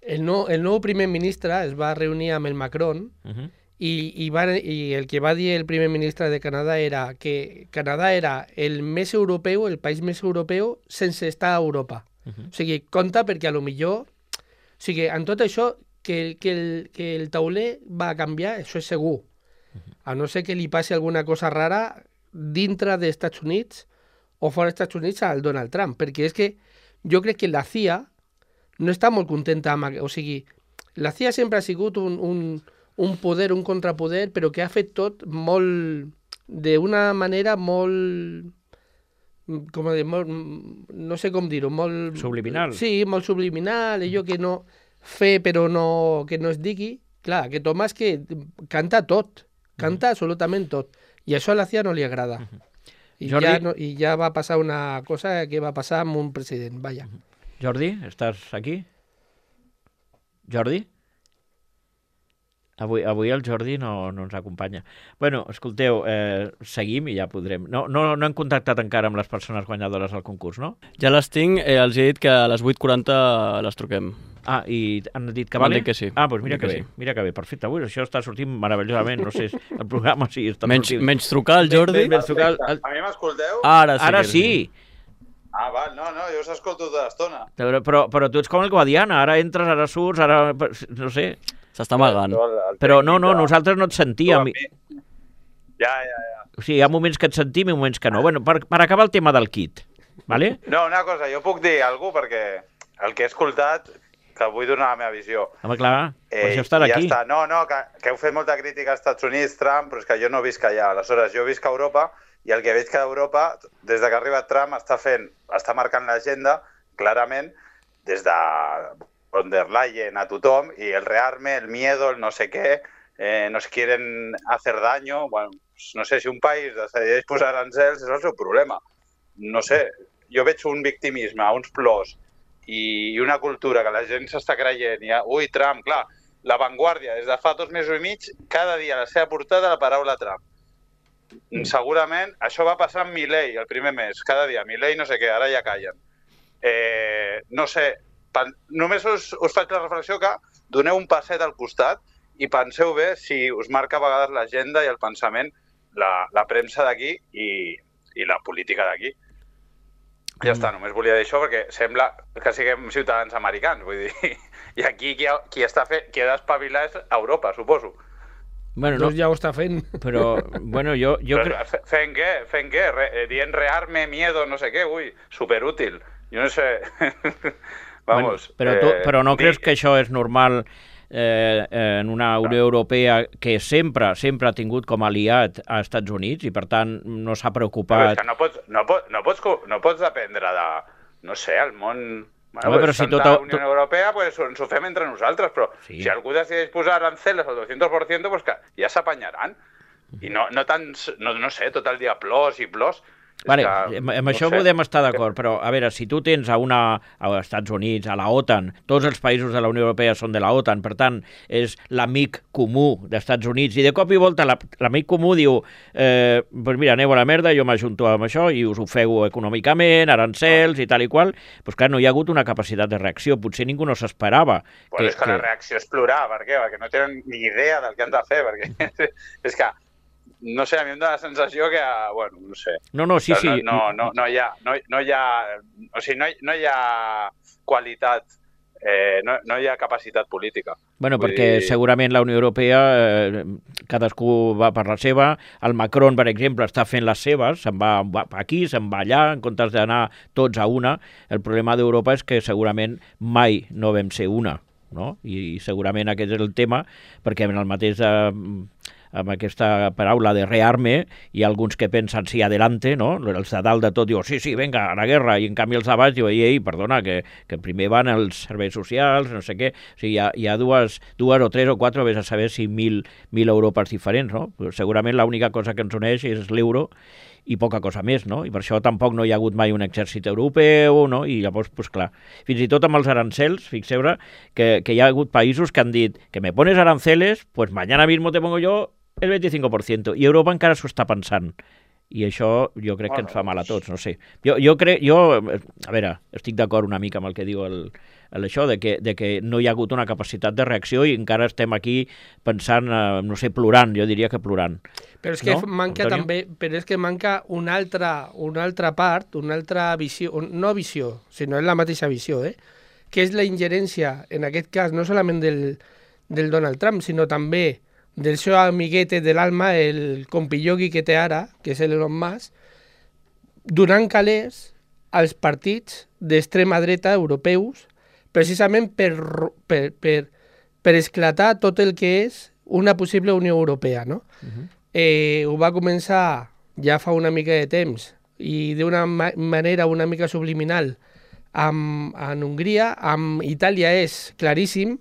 el, nou, el nou primer ministre es va reunir amb el Macron Uh -huh. i, i, va, i el que va dir el primer ministre de Canadà era que Canadà era el més europeu, el país més europeu sense estar a Europa. Uh -huh. O sigui, compte perquè a lo millor... O sigui, en tot això, que, que, el, que el tauler va canviar, això és segur. A no ser que li passi alguna cosa rara dintre dels Estats Units o fora dels Estats Units al Donald Trump, perquè és que jo crec que la C I A no està molt contenta amb... O sigui, la C I A sempre ha sigut un, un, un poder, un contrapoder, però que ha fet tot molt... d'una manera molt... Com a dir, molt, no sé com dir-ho, molt... Subliminal. Sí, molt subliminal, allò que no... fer però no, que no es digui. Clar, aquest home és que canta tot, canta absolutament tot. I això a la C I A no li agrada. I, Jordi? ja no, I ja va passar una cosa que va passar amb un president, vaja. Jordi, estàs aquí? Jordi? Avui, avui el Jordi no, no ens acompanya. Bueno, escolteu, eh, seguim i ja podrem... No, no, no hem contactat encara amb les persones guanyadores del concurs, no? Ja les tinc, eh, els he dit que a les vuit quaranta les truquem. Ah, i han dit que M'han vale? dit que sí. Ah, doncs mira Dit que, que bé, sí. mira que bé, perfecte. Ui, això està sortint meravellosament, no sé, el programa sí està Menys, sortint. menys trucar al Jordi. Ben, ben, trucar al- A mi m'escolteu? Ara sí. Ara que sí. Ah, val, no, no, jo us escolto tota l'estona. Però, però, però tu ets com el Guadiana, ara entres, ara surts, ara... no sé. S'està amagant. Però no, no, nosaltres no et sentíem. Ja, ja, ja. O sigui, hi ha moments que et sentim i moments que no. Bueno, per, per acabar el tema del kit, vale? No, una cosa, jo puc dir alguna cosa perquè el que he escoltat, que vull donar la meva visió. Home, clar, per Eh, això estar i ja aquí. està. No, no, que, que heu fet molta crítica als Estats Units, Trump, però és que jo no visc allà. Aleshores, jo visc a Europa i el que veig que Europa, des de que ha arribat Trump, està fent, està marcant l'agenda, clarament, des de von der Leyen a tothom, i el rearme, el miedo, el no sé què, eh, nos quieren hacer daño. Bueno, no sé, si un país decideix posar arancels, és el seu problema. No sé, jo veig un victimisme, uns plors, i una cultura que la gent s'està creient. I, ui, Trump, clar, La Vanguardia, des de fa dos mesos i mig, cada dia a la seva portada la paraula Trump. Segurament això va passar amb Milei el primer mes, cada dia, Milei no sé què, ara ja callen. Eh, no sé, pen... només us, us faig la reflexió que doneu un passet al costat i penseu bé si us marca a vegades l'agenda i el pensament, la, la premsa d'aquí i, i la política d'aquí. Ja està, només volia dir això perquè sembla que siguem ciutadans americans, vull dir, i aquí qui, ha, qui, està fe, qui ha d'espavilar és Europa, suposo. Bueno, no, Doncs ja ho està fent. però, bueno, jo, jo Però, crec... fent què? Fent què? Re, dient rearme, miedo, no sé què, ui, superútil. Jo no sé... Vamos. Bueno, però, tu, eh, però no di... creus que això és normal eh, en una Unió Europea que sempre sempre ha tingut com a aliat a Estats Units i per tant no s'ha Però preocupat... és que no pots, no, pots, no, pots, no pots dependre de, no sé, el món... Bueno, Home, però pues, si Santa tot- Unió tot- Europea pues, ens ho fem entre nosaltres, però Sí. si algú decideix posar aranceles al doscientos por ciento, pues que ja s'apanyaran. I no, no tant, no, no sé, tot el dia plors i plors. És Vale, que, amb, amb no això sé. podem estar d'acord, però a veure, si tu tens a una als Estats Units, a la OTAN, tots els països de la Unió Europea són de la OTAN, per tant, és l'amic comú d'Estats Units, i de cop i volta la- l'amic comú diu eh, pues mira, aneu a la merda, jo m'ajunto amb això i us ofego econòmicament, arancels i tal i qual, doncs clar, no hi ha hagut una capacitat de reacció, potser ningú no s'esperava. Bueno, és que la reacció és plorar, per què? Perquè no tenen ni idea del que han de fer, perquè és que, no sé, a mi em dóna la sensació que, bueno, no sé. No, no, sí, sí. No, no, no, hi ha, no, no hi ha, o sigui, no, hi- no hi ha qualitat, eh, no, no hi ha capacitat política. Bueno, Vull perquè dir- segurament la Unió Europea, eh, cadascú va per la seva. El Macron, per exemple, està fent les seves, se'n va, va aquí, se'n va allà, en comptes d'anar tots a una. El problema d'Europa és que segurament mai no vam ser una, no? I, i segurament aquest és el tema, perquè en el mateix... Eh, amb aquesta paraula de rearme, hi ha alguns que pensen sí, adelante, no? Els de dalt de tot diuen sí, sí, venga, a la guerra, i en canvi els de baix diuen ei, ei, perdona, que, que primer van els serveis socials, no sé què. O sigui, hi ha, hi ha dues, dues o tres o quatre, vés a saber si mil, mil Europes diferents, no? Però segurament l'única cosa que ens uneix és l'euro i poca cosa més, no? I per això tampoc no hi ha hagut mai un exèrcit europeu, no? I llavors, pues clar, fins i tot amb els arancels, fixeu que, que hi ha hagut països que han dit que me pones aranceles, pues mañana mismo te pongo yo el veinticinco por ciento, i Europa encara s'ho està pensant. I això jo crec que ens fa mal a tots, no sé. Jo, jo crec, jo, a veure, estic d'acord una mica amb el que diu el, el això, de que, de que no hi ha hagut una capacitat de reacció i encara estem aquí pensant, eh, no sé, plorant, jo diria que plorant. Però és que No, manca Antonio? també, però és que manca una altra, una altra part, una altra visió, no visió, sinó és la mateixa visió, eh? Que és la ingerència, en aquest cas, no solament del, del Donald Trump, sinó també del seu amiguete de l'alma, el compillogui que té ara, que és l'Elon Musk, donant calés als partits d'extrema dreta europeus, precisament per, ro- per, per, per esclatar tot el que és una possible Unió Europea, no? Uh-huh. eh, ho va començar ja fa una mica de temps i d'una ma manera una mica subliminal amb, en Hongria, amb Itàlia és claríssim,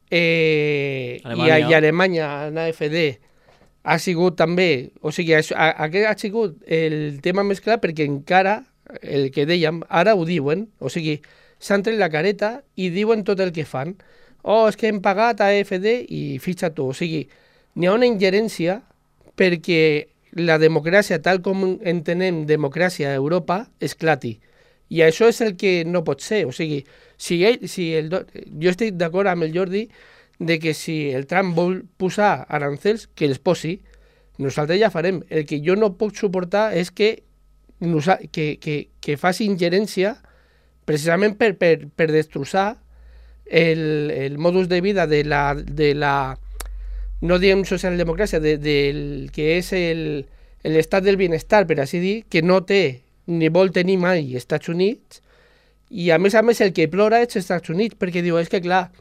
eh, Alemanya. i, a, i Alemanya, en A F D, ha sigut també, o sigui, això, a, aquest ha sigut el tema més clar perquè encara, el que dèiem, ara ho diuen, o sigui, s'han tret la careta i diuen tot el que fan. Oh, és que hem pagat a A F D i fitxa tu, o sigui, n'hi ha una ingerència perquè la democràcia, tal com entenem democràcia a Europa, esclati. I això és el que no pot ser. O sigui, si ell, si el, jo estic d'acord amb el Jordi de que si el Trump vol posar arancels, que els posi, nosaltres ja farem. El que jo no puc suportar és que que, que, que faci ingerència precisament per, per, per destrossar el, el modus de vida de la, de la no diem socialdemocràcia, de, del que és el, l'estat del benestar, per així dir, que no té ni vol tenir mai Estats Units, i a més a més el que plora és Estats Units, perquè diu, és que clar,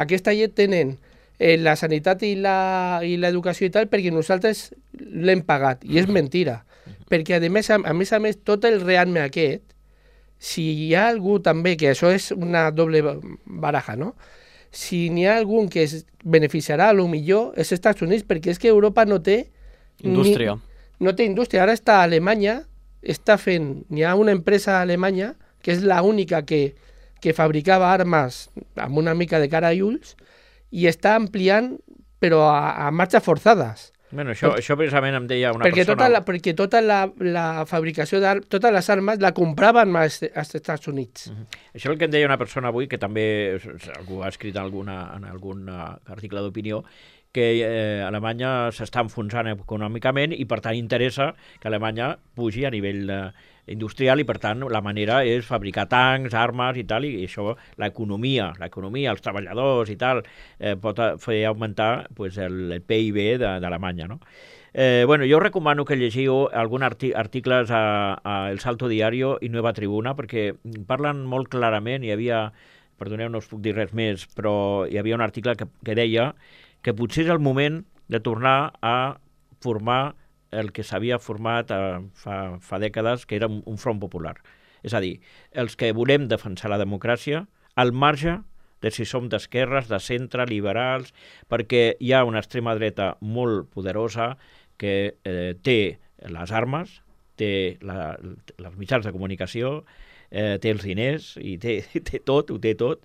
aquesta gent tenen eh, la sanitat i la, i l'educació i tal perquè nosaltres l'hem pagat, i és mentira, perquè a més a, a més a més tot el rearme aquest, si hi ha algú també, que això és una doble baraja, no? Si n'hi ha algun que es beneficiarà a lo millor és Estats Units, perquè és que Europa no té indústria. Ni, no té indústria. Ara està a Alemanya, està fent, n'hi ha una empresa a Alemanya que és l'única que, que fabricava armes amb una mica de cara i ulls i està ampliant, però a, a marxes forçades. Bueno, això, Tot, això precisament em deia una perquè persona... Tota la, perquè tota la, la fabricació de totes les armes la compraven als, als Estats Units. Uh-huh. Això és el que em deia una persona avui, que també algú ha escrit en, alguna, en algun article d'opinió, que eh, Alemanya s'està enfonsant econòmicament i per tant interessa que Alemanya pugi a nivell eh, industrial i per tant la manera és fabricar tancs, armes i tal, i això l'economia, l'economia, els treballadors i tal, eh, pot fer augmentar pues, el, el P I B d'Alemanya, no? Eh, bueno, jo recomano que llegiu alguns arti articles a, a El Salto Diario i Nueva Tribuna perquè parlen molt clarament, hi havia, perdoneu, no us puc dir res més, però hi havia un article que, que deia que potser és el moment de tornar a formar el que s'havia format eh, fa, fa dècades, que era un, un front popular. És a dir, els que volem defensar la democràcia, al marge de si som d'esquerres, de centre, liberals, perquè hi ha una extrema dreta molt poderosa que eh, té les armes, té la, els mitjans de comunicació, eh, té els diners, i té, té tot, ho té tot,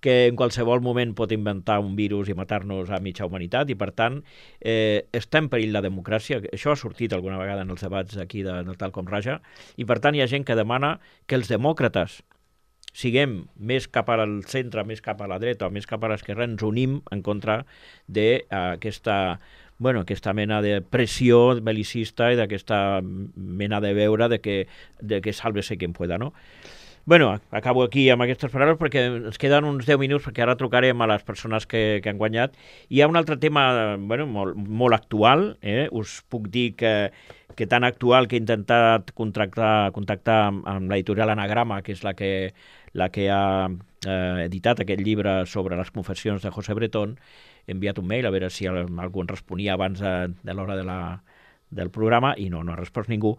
que en qualsevol moment pot inventar un virus i matar-nos a mitja humanitat i, per tant, eh, està en perill la democràcia. Això ha sortit alguna vegada en els debats aquí de, de Tal com Raja, i, per tant, hi ha gent que demana que els demòcrates siguem més cap al centre, més cap a la dreta o més cap a l'esquerra, ens unim en contra d'aquesta bueno, aquesta mena de pressió belicista i d'aquesta mena de veure de que, de que sálvese quien pueda, no? Bueno, acabo aquí amb aquestes paraules perquè ens queden uns deu minuts perquè ara trucarem a les persones que, que han guanyat. Hi ha un altre tema bueno, molt, molt actual, eh? Us puc dir que, que tan actual que he intentat contactar, contactar amb, amb l'editorial Anagrama, que és la que, la que ha eh, editat aquest llibre sobre les confessions de José Bretón. He enviat un mail a veure si algú en responia abans de, de l'hora de la del programa, i no, no ha respost ningú.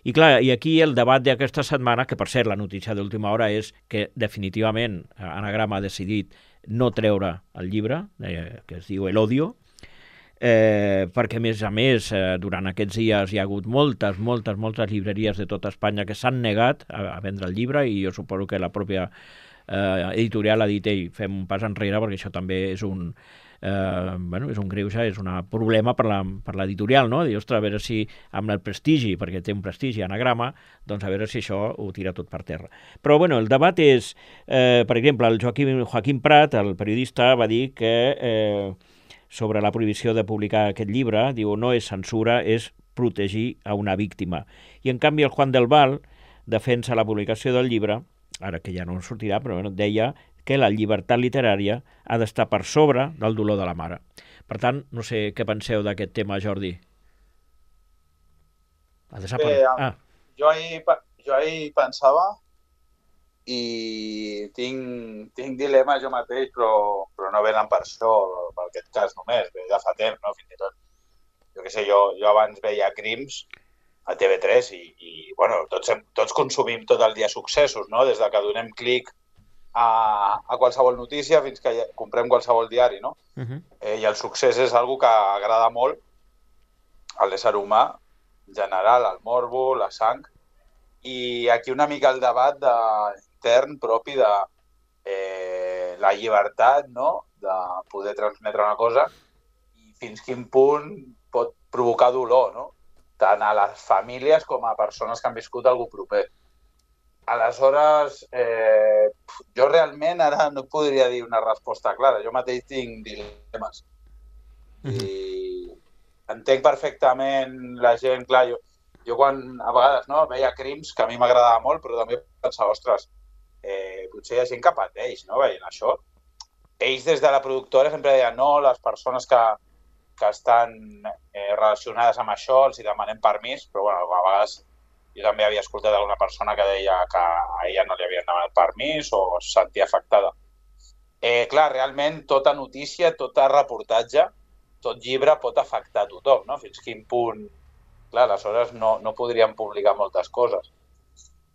I clar, i aquí el debat d'aquesta setmana, que per cert la notícia d'última hora és que definitivament Anagrama ha decidit no treure el llibre, eh, que es diu El Odio, eh, perquè a més a més eh, durant aquests dies hi ha hagut moltes, moltes, moltes llibreries de tota Espanya que s'han negat a, a vendre el llibre, i jo suposo que la pròpia eh, editorial ha dit, ei, fem un pas enrere perquè això també és un Eh, bueno, és un greuge, és un problema per la, per l'editorial, no? Dir, ostres, a veure si amb el prestigi, perquè té un prestigi Anagrama, doncs a veure si això ho tira tot per terra. Però bueno, el debat és, eh, per exemple, el Joaquim, Joaquim Prat, el periodista, va dir que eh, sobre la prohibició de publicar aquest llibre, diu, no és censura, és protegir a una víctima. I en canvi el Juan del Val defensa la publicació del llibre, ara que ja no sortirà, però bueno, deia que la llibertat literària ha d'estar per sobre del dolor de la mare. Per tant, no sé què penseu d'aquest tema, Jordi. Ha desaparegut. Bé, ah. jo, ahir, jo ahir pensava i tinc, tinc dilema jo mateix, però, però no venen per això, per aquest cas només, ve de fa temps, no? Fins i tot. Jo què sé, jo, jo abans veia Crims a T V tres i, i bueno, tots, tots consumim tot el dia successos, no? Des de que donem clic A, a qualsevol notícia fins que comprem qualsevol diari, no? Uh-huh. eh, I el succés és algo que agrada molt a l'ésser humà en general, el morbo, la sang, i aquí una mica el debat de, intern propi de eh, la llibertat, no? De poder transmetre una cosa i fins quin punt pot provocar dolor, no? Tant a les famílies com a persones que han viscut algú proper. Aleshores, eh, jo realment ara no podria dir una resposta clara. Jo mateix tinc dilemes. I entenc perfectament la gent, clar, jo, jo quan a vegades no, veia crims que a mi m'agradava molt, però també pensava, ostres, eh, potser hi ha gent que pateix, no?, veient això. Ells des de la productora sempre deien, no, les persones que, que estan eh, relacionades amb això els hi demanem permís, però bueno, a vegades jo també havia escoltat alguna persona que deia que a ella no li havien demanat permís o es sentia afectada. Eh, clar, realment tota notícia, tot reportatge, tot llibre pot afectar a tothom, no? Fins quin punt... Clar, aleshores no, no podríem publicar moltes coses.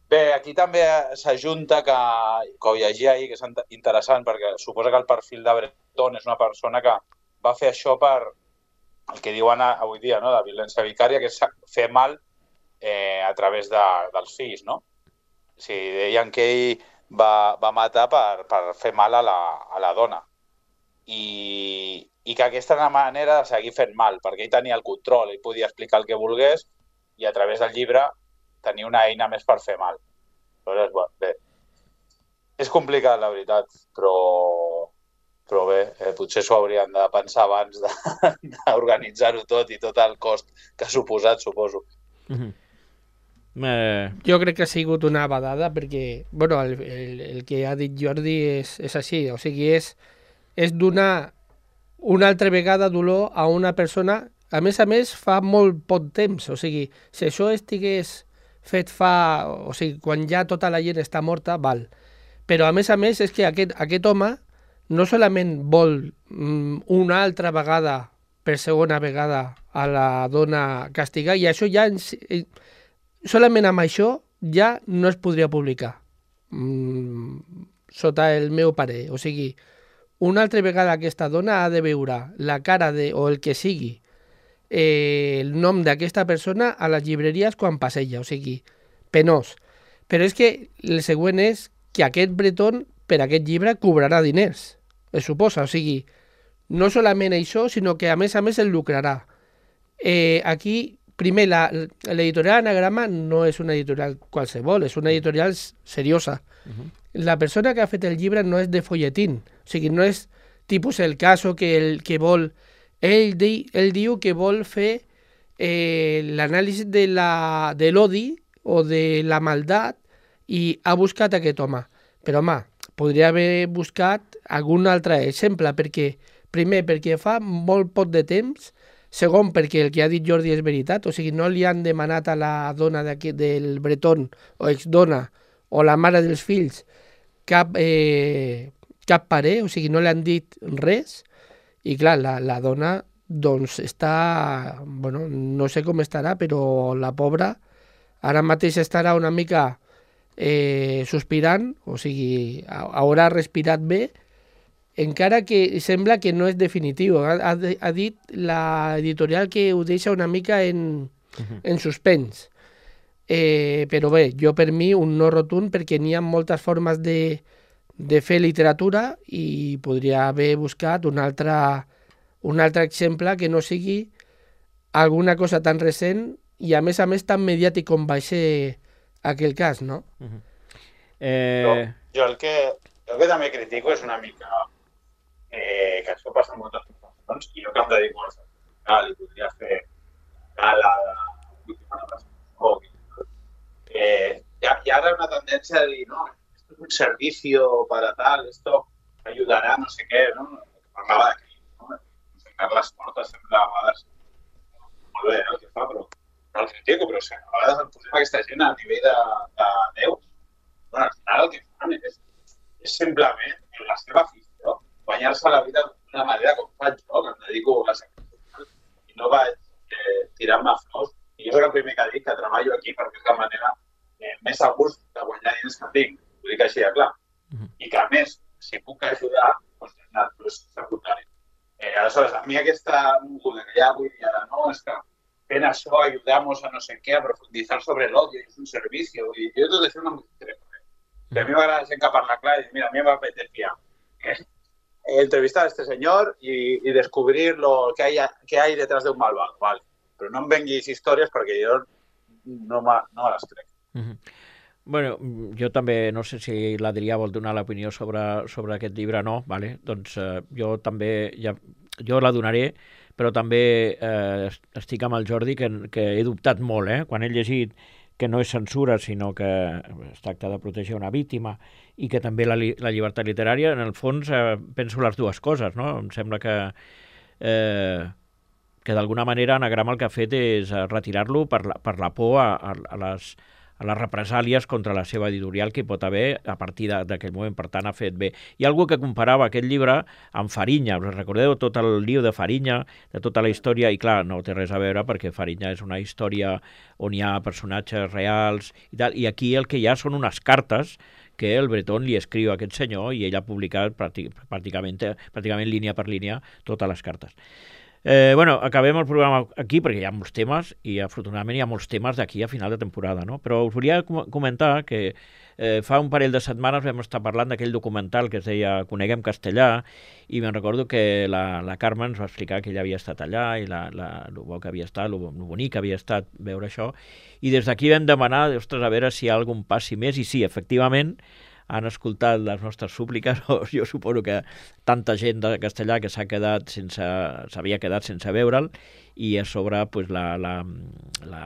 Bé, aquí també s'ajunta que, que ho llegia ahir, que és interessant, perquè suposa que el perfil de Breton és una persona que va fer això per el que diuen avui dia, no?, de violència vicària, que és fer mal eh, a través de, dels fills, no? O sigui, deien que ell va, va matar per, per fer mal a la, a la dona. I, i que aquesta era una manera de seguir fent mal, perquè ell tenia el control, ell podia explicar el que volgués i a través del llibre tenia una eina més per fer mal. Aleshores, bueno, bé, és complicat, la veritat, però, però bé, eh, potser s'ho haurien de pensar abans d'organitzar-ho tot i tot el cost que ha suposat, suposo. Mm-hmm. Eh... Jo crec que ha sigut una badada perquè, bueno, el, el, el que ha dit Jordi és, és així, o sigui, és, és donar una altra vegada dolor a una persona, a més a més fa molt poc temps, o sigui, si això estigués fet fa, o sigui, quan ja tota la gent està morta, val, però a més a més és que aquest, aquest home no solament vol mm, una altra vegada, per segona vegada, a la dona castigar, i això ja... Ens, solament amb això ja no es podria publicar, mm, sota el meu parer. O sigui, una altra vegada aquesta dona ha de veure la cara de, o el que sigui, eh, el nom d'aquesta persona a les llibreries quan passeja, o sigui, penós. Però és que el següent és que aquest Breton per aquest llibre cobrarà diners, es suposa, o sigui, no solament això, sinó que a més a més el lucrarà. Eh, aquí... Primer, la, l'editorial Anagrama no és una editorial qualsevol, és una editorial seriosa. Uh-huh. La persona que ha fet el llibre no és de folletín, o sigui, no és tipus el caso que, el, que vol... Ell, di, ell diu que vol fer eh, l'anàlisi de, la, de l'odi o de la maldat i ha buscat aquest home. Però, home, podria haver buscat algun altre exemple, perquè, primer, perquè fa molt poc de temps. Segon, perquè el que ha dit Jordi és veritat, o sigui, no li han demanat a la dona del Breton, o exdona, o la mare dels fills, cap, eh, cap parer, o sigui, no li han dit res, i clar, la, la dona, doncs, està, bueno, no sé com estarà, però la pobra ara mateix estarà una mica eh, sospirant, o sigui, haurà respirat bé, encara que sembla que no és definitiu. Ha, ha, ha dit l'editorial que ho deixa una mica en, uh-huh. en suspens. Eh, però bé, jo per mi un no rotund, perquè n'hi ha moltes formes de, de fer literatura i podria haver buscat un altre, un altre exemple que no sigui alguna cosa tan recent i a més a més tan mediàtic com va ser aquell cas, no? Uh-huh. eh... jo, jo el que, el que també critico és una mica Eh, que això passa en moltes situacions i jo que em dedico al sector i podria fer gala d'última presentació. Eh, hi, ha, hi ha ara una tendència a dir, no, esto es un servicio para tal, esto ayudará, no sé què, no? Parlava de crim, no? Carles Porta sempre a vegades molt bé el que fa, però no el critico, però o sigui, a vegades el posem aquesta gent a nivell de, de Déu. Bueno, al final el que fan és, és simplement la seva afició, guanyar-se la vida d'una manera com faig jo, que em dedico a la secció i no vaig eh, tirant-me flors. I jo soc el primer que dic que treballo aquí perquè és la manera eh, més a gust de guanyar diners que tinc, ho dic així de clar. Uh-huh. I que a més, si puc ajudar, doncs és el plus secundari. Eh, aleshores, a mi aquesta moguda que hi ha avui dia de no, és que fent això ayudamos a no sé què, a profunditzar sobre l'odio, és un servici, i jo tot això no m'ho crec. Uh-huh. A mi m'agrada gent que parla clar i dir, mira, a mi m'apetecía eh? entrevistar a este señor y, y descubrir lo que hay, que hay detrás de un malvado, vale. Pero no em venguis històries perquè jo no, no les crec. Uh-huh. Bueno, jo també, no sé si l'Adrià vol donar l'opinió sobre, sobre aquest llibre o no, vale? Doncs eh, jo també, ja, jo la donaré, però també eh, estic amb el Jordi, que, que he dubtat molt, eh? Quan he llegit que no és censura, sinó que es tracta de protegir una víctima i que també la, la llibertat literària, en el fons eh, penso les dues coses, no? Em sembla que, eh, que d'alguna manera Anagrama el que ha fet és retirar-lo per, la, per la por a, a, a les a les represàlies contra la seva editorial que hi pot haver a partir d'aquell moment. Per tant, ha fet bé. Hi ha algú que comparava aquest llibre amb Fariña. Us recordeu tot el lío de Fariña, de tota la història? I clar, no té res a veure perquè Fariña és una història on hi ha personatges reals i tal. I aquí el que hi ha són unes cartes que el Breton li escriu a aquest senyor i ell ha publicat pràcticament, pràcticament línia per línia totes les cartes. Eh, bueno, acabem el programa aquí perquè hi ha molts temes i afortunadament hi ha molts temes d'aquí a final de temporada, no? Però us volia com comentar que eh, fa un parell de setmanes vam estar parlant d'aquell documental que es deia Coneguem Castellà i me'n recordo que la, la Carme ens va explicar que ella havia estat allà i la, la, lo bo que havia estat, lo, lo bonic que havia estat veure això i des d'aquí vam demanar, ostres, a veure si hi ha algun passi més i sí, efectivament han escoltat les nostres súpliques, o jo suposo que tanta gent de castellà que s'ha quedat sense, s'havia quedat sense veure'l, i a sobre pues, la, la, la,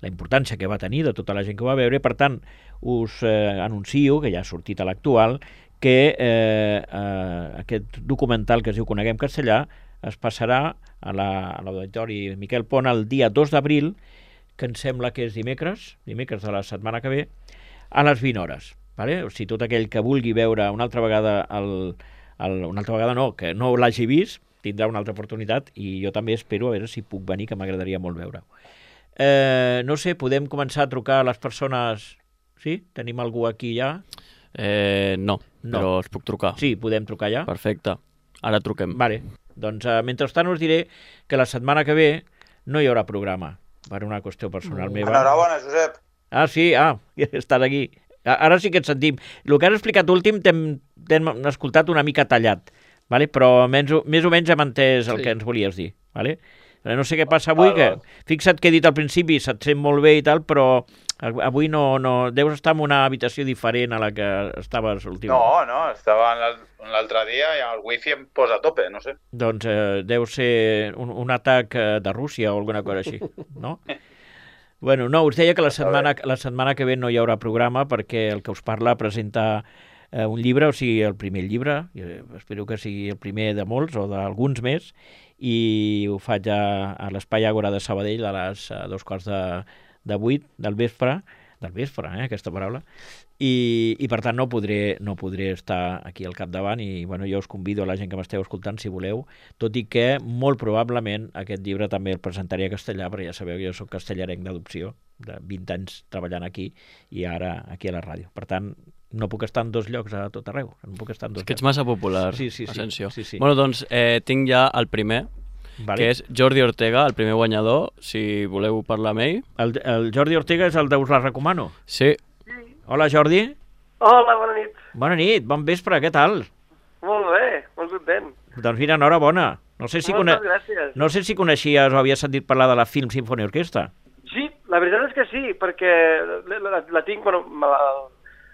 la importància que va tenir de tota la gent que ho va veure. Per tant, us eh, anuncio, que ja ha sortit a l'actual, que eh, eh, aquest documental que es diu Coneguem Castellà es passarà a l'Auditori la, Miquel Pont el dia dos d'abril, que em sembla que és dimecres, dimecres de la setmana que ve, a les vint hores. Vale? O sigui, tot aquell que vulgui veure una altra vegada, el, el, una altra vegada no, que no l'hagi vist, tindrà una altra oportunitat i jo també espero a veure si puc venir, que m'agradaria molt veure-ho. Eh, no sé, podem començar a trucar a les persones... Sí? Tenim algú aquí ja? Eh, no, no, però es puc trucar. Sí, podem trucar ja? Perfecte, ara truquem. Vale, doncs eh, mentrestant us diré que la setmana que ve no hi haurà programa, per una qüestió personal meva. Enhorabona, Josep. Ah, sí? Ah, estàs aquí. Ara sí que et sentim. El que has explicat últim t'hem escoltat una mica tallat, vale? Però menys, més o menys hem entès el sí. que ens volies dir. Vale? No sé què passa avui, que fixa't que he dit al principi, se't sent molt bé i tal, però avui no, no deus estar en una habitació diferent a la que estaves últimament. No, no, estava l'altre dia i el wifi em posa a tope, no sé. Doncs eh, deu ser un, un atac de Rússia o alguna cosa així, no? Bueno, no, us deia que la setmana, la setmana que ve no hi haurà programa perquè el que us parla presenta eh, un llibre, o sigui, el primer llibre, eh, espero que sigui el primer de molts o d'alguns més, i ho faig a, a l'Espai Àgora de Sabadell a les a dos quarts de, de vuit del vespre, del vespre, eh, aquesta paraula, i, i per tant no podré, no podré estar aquí al capdavant i bueno, jo us convido a la gent que m'esteu escoltant si voleu, tot i que molt probablement aquest llibre també el presentaré a castellà, perquè ja sabeu que jo soc castellarenc d'adopció, de vint anys treballant aquí i ara aquí a la ràdio. Per tant, no puc estar en dos llocs a tot arreu. No puc estar en dos és que ets llocs. massa popular, sí, sí, sí, Asensio. Sí, sí. Bueno, doncs eh, tinc ja el primer, vale. Que és Jordi Ortega, el primer guanyador, si voleu parlar amb ell. El, el Jordi Ortega és el de Us la recomano? Sí. Hola, Jordi. Hola, bona nit. Bona nit, bon vespre, què tal? Molt bé, molt content. Doncs mira, enhorabona. No sé si, Moltes cone... gràcies. no sé si coneixies o havies sentit parlar de la Film Symphony Orchestra. Sí, la veritat és que sí, perquè la, la, la tinc bueno, la,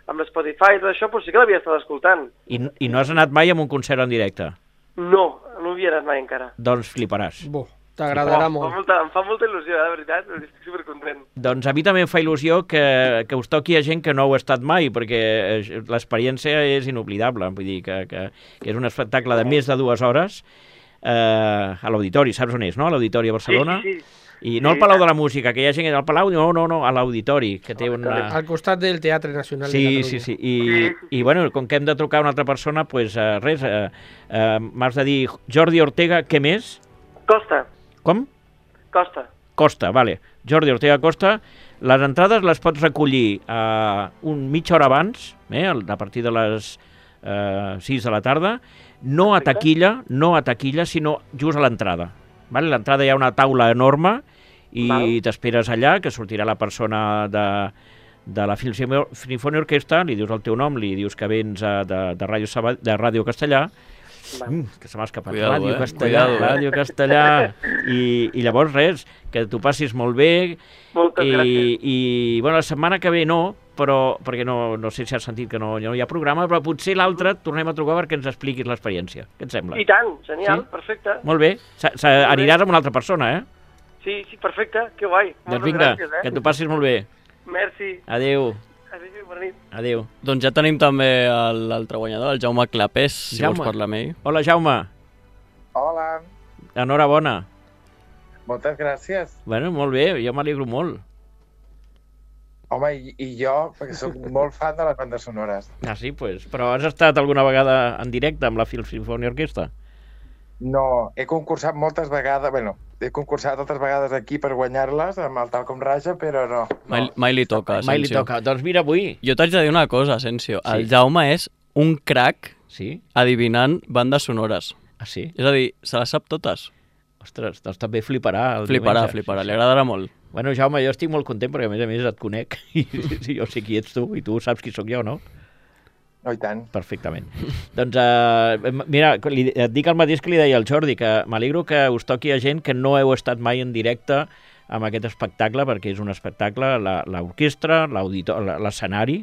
amb l'Spotify i tot això, però sí que l'havia estat escoltant. I, I no has anat mai a un concert en directe? No, no havia anat mai encara. Doncs fliparàs. Bo, t'agradarà oh, molt. Fa molta, em fa molta il·lusió, eh, de veritat, estic supercontent. Doncs a mi també em fa il·lusió que, que us toqui a gent que no heu estat mai, perquè l'experiència és inoblidable, vull dir que, que, que és un espectacle de més de dues hores eh, a l'Auditori, saps on és, no? A l'Auditori a Barcelona. Sí, sí, sí. I no al Palau de la Música, que hi ha gent al Palau, no, no, no, a l'Auditori, que té una... Al costat del Teatre Nacional sí, de Catalunya. Sí, sí, i, i bueno, com que hem de trucar a una altra persona, doncs pues, uh, res, uh, uh, m'has de dir Jordi Ortega, què més? Costa. Com? Costa. Costa, vale. Jordi Ortega Costa. Les entrades les pots recollir uh, un mitja hora abans, eh, a partir de les uh, sis de la tarda, no a taquilla, no a taquilla, sinó just a l'entrada. Vale? A l'entrada hi ha una taula enorme i t'esperes allà, que sortirà la persona de, de la Film Symphony Orchestra, li dius el teu nom, li dius que vens uh, de, de, Ràdio Sabad de Ràdio Castellà, mm, que se m'ha escapat, cuidado, Ràdio eh? Castellà, Cuidado, eh? Ràdio Castellà, i, i llavors res, que tu passis molt bé, Moltes i, gràcies. i bueno, la setmana que ve no, però, perquè no, no sé si has sentit que no, no hi ha programa, però potser l'altre et tornem a trucar perquè ens expliquis l'experiència. Què et sembla? I tant, genial, Sí? perfecte. Molt bé. S -s Aniràs amb una altra persona, eh? Sí, sí, perfecte, que guai. Doncs Moltes vinga, gràcies, eh? que t'ho passis molt bé. Merci. Adéu. Adéu, bona nit. Adéu. Doncs ja tenim també el- l'altre guanyador, el Jaume Clapés, si Jaume. vols parlar amb ell. Hola, Jaume. Hola, Enhorabona. moltes gràcies. Bueno, molt bé, jo m'alegro molt. Home, i, i jo, perquè sóc molt fan de les bandes sonores. Ah, sí, pues. Però has estat alguna vegada en directe amb la Phil Symphony Orquestra? No, he concursat moltes vegades, bueno, he concursat altres vegades aquí per guanyar-les amb el Tal com Raja, però no. Mai, no. mai li toca, Mai li Asensio. toca. Doncs mira, avui... Jo t'haig de dir una cosa, Asensio. Sí. El Jaume és un crac Sí? adivinant bandes sonores. Ah, sí? És a dir, se les sap totes. Ostres, doncs també fliparà el Fliparà, diumenge. fliparà, Sí, li sí. agradarà molt. Bueno, Jaume, jo estic molt content perquè a més a més et conec i sí, jo sé qui ets tu i tu saps qui sóc jo, no? No, i tant. Perfectament. Doncs, uh, mira, li, et dic el mateix que li deia al Jordi, que m'alegro que us toqui a gent que no heu estat mai en directe amb aquest espectacle, perquè és un espectacle, la- l'orquestra, l'auditor- la- l'escenari,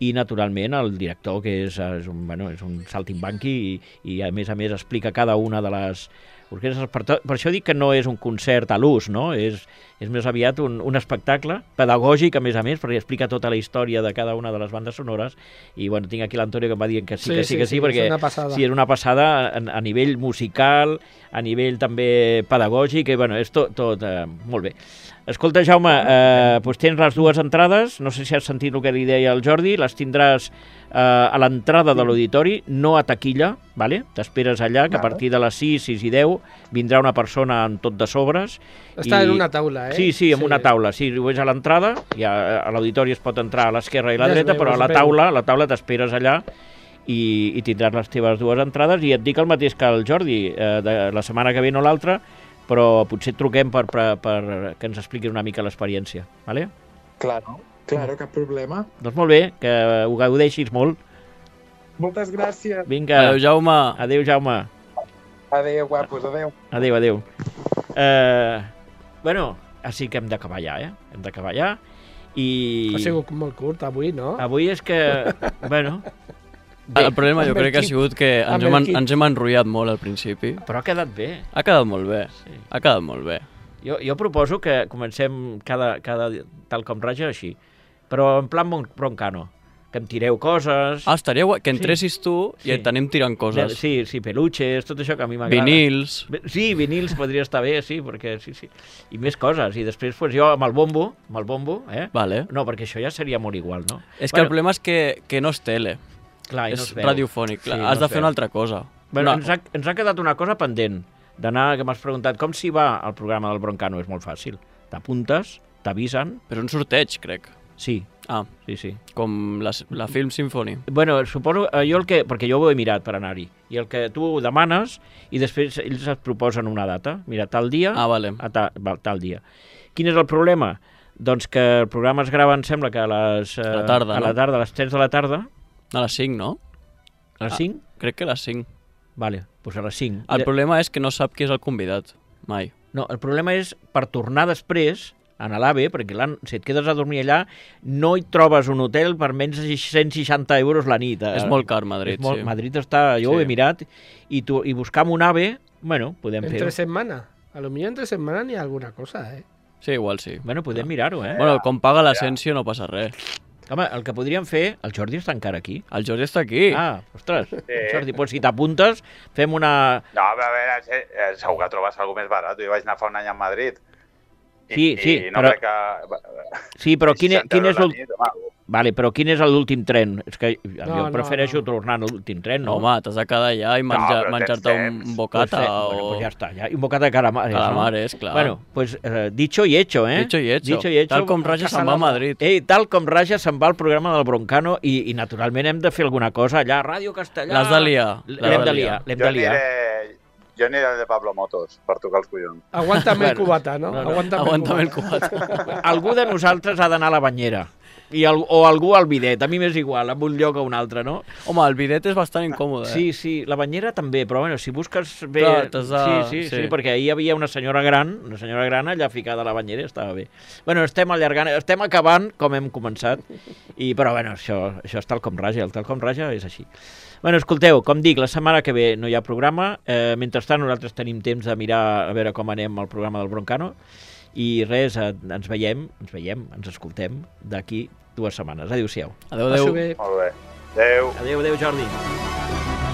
i naturalment el director, que és, és, un, bueno, és un saltimbanqui i, i a més a més explica cada una de les orquestres. Per, to, per això dic que no és un concert a l'ús, no? És, és més aviat un, un espectacle pedagògic, a més a més, perquè explica tota la història de cada una de les bandes sonores. I bueno, tinc aquí l'Antonio que em va dient que sí, Sí, que sí, sí, que sí, sí, perquè és una passada. sí, és una passada a, a nivell musical, a nivell també pedagògic, i bueno, és tot, tot eh, molt bé. Escolta, Jaume, eh, doncs tens les dues entrades, no sé si has sentit el que li deia el Jordi, les tindràs eh, a l'entrada de l'auditori, no a taquilla, vale? T'esperes allà, que a Vale. partir de les sis, sis i deu vindrà una persona amb tot de sobres. Està i- en una taula, eh? Sí, sí, en una taula. Sí, ho veig a l'entrada, ja a l'auditori es pot entrar a l'esquerra i a la Ja es dreta, veu, però a es la veu. taula, a la taula t'esperes allà i, i tindràs les teves dues entrades, i et dic el mateix que el Jordi, eh, de la setmana que ve no l'altra, però potser et truquem per, per, per que ens expliquis una mica l'experiència, vale? Claro, claro, cap problema. Doncs molt bé, que ho gaudeixis molt. Moltes gràcies. Vinga, Adéu, Jaume. adéu, Jaume. Adéu, guapos, adéu. Adéu, adéu. Eh, bueno, així que hem d'acabar ja, eh? Hem d'acabar ja. I Ha sigut molt curt avui, no? avui és que, bueno, bé, El problema jo amb el crec que ha kit. sigut que ens Amb hem, el en- kit. ens hem enrotllat molt al principi. però ha quedat bé. Ha quedat molt bé, Sí. ha quedat molt bé. Jo, jo proposo que comencem cada, cada tal com raja així, però en plan bon- broncano, que em tireu coses... Ah, estaria guai que Sí. entressis tu i Sí. et t'anem tirant coses. Sí, sí, peluches, tot això que a mi m'agrada. Vinils. Bé, Sí, vinils podria estar bé, sí, perquè sí, sí. I més coses. I després pues, jo amb el bombo, amb el bombo, eh? Vale. No, perquè això ja seria molt igual, no? És que el problema és que, que no és tele, clar, i és no es veu. radiofònic. Clar, Sí, has no de es fer veu. una altra cosa. Bueno, No. ens, ha, ens ha quedat una cosa pendent d'anar, que m'has preguntat com s'hi va al programa del Broncano. És molt fàcil. T'apuntes, t'avisen... Però un sorteig, crec. Sí, Ah, sí, sí. com la, la Film Symphony. Bueno, suposo, eh, jo el que... Perquè jo ho he mirat per anar-hi. I el que tu demanes, i després ells et proposen una data. Mira, tal dia... Ah, vale. A ta, val, tal dia. Quin és el problema? Doncs que el programa es grava, em sembla que a les... Eh, A la tarda, a la no? tarda, a les tres de la tarda. A les cinc, no? A les Ah. cinc? Crec que a les cinc. Vale, doncs a les cinc. El problema és que no sap qui és el convidat. Mai. No, el problema és per tornar després a l'AVE, perquè clar, si et quedes a dormir allà no hi trobes un hotel per menys de cent seixanta euros la nit. És molt car, Madrid, és molt, sí. Madrid està... Jo Sí. ho he mirat i, tu, i buscar un AVE, bueno, podem fer-ho. Entre setmana. A lo millor entre setmana n'hi ha alguna cosa, eh? Sí, igual sí. Bueno, podem mirar-ho, eh? Bueno, com paga l'Asensio no passa res. Home, el que podríem fer... El Jordi està encara aquí. El Jordi està aquí. Ah, ostres. Jordi, doncs si t'apuntes, fem una... No, però a veure, eh, eh, segur que trobes alguna més barat. Jo vaig anar fa un any a Madrid. I, Sí, sí, i no però- crec que... Sí, però quin, e- quin és el... l'últim... Vale, però quin és l'últim tren? És que jo No, no, prefereixo no. tornar a l'últim tren, No, no? home, t'has de quedar allà i menjar, però menjar-te tens un temps. bocata Pues, eh, o... Bueno, pues ja està, ja. I un bocata de calamares, Calamares, no? clar. Bueno, pues eh, dicho y hecho, eh? Dicho y hecho. Dicho y hecho. Tal com Raja se'n va a Madrid. Ei, tal com Raja se'n va al programa del Broncano i, i naturalment hem de fer alguna cosa allà, Ràdio Castellà... L'has de liar, l'has L'hem de de liar. liar, l'hem Jo de liar. aniré, jo aniré al de Pablo Motos per tocar els collons. Aguántame el Bueno, cubata, no? no, no. Aguántame, Aguanta'm el el cubata. cubata. Algú de nosaltres ha d'anar a la banyera. I el, o algú al bidet, a mi m'és igual, en un lloc o un altre, no? Home, el bidet és bastant incòmode, eh? Sí, sí, la banyera també, però bueno, si busques bé... Clar, t'has de- sí, sí, sí, sí. perquè ahir hi havia una senyora gran, una senyora gran allà ficada a la banyera i estava bé. Bueno, estem allargant, estem acabant com hem començat, i però bueno, això, això és tal com raja, el tal com raja és així. Bueno, escolteu, com dic, la setmana que ve no hi ha programa, eh, mentrestant nosaltres tenim temps de mirar a veure com anem al programa del Broncano, i res, eh, ens veiem, ens veiem, ens escoltem d'aquí dues setmanes. Adéu-siau. Adéu, adéu. Passi bé. Molt bé. Adéu. Adéu, adéu, Jordi.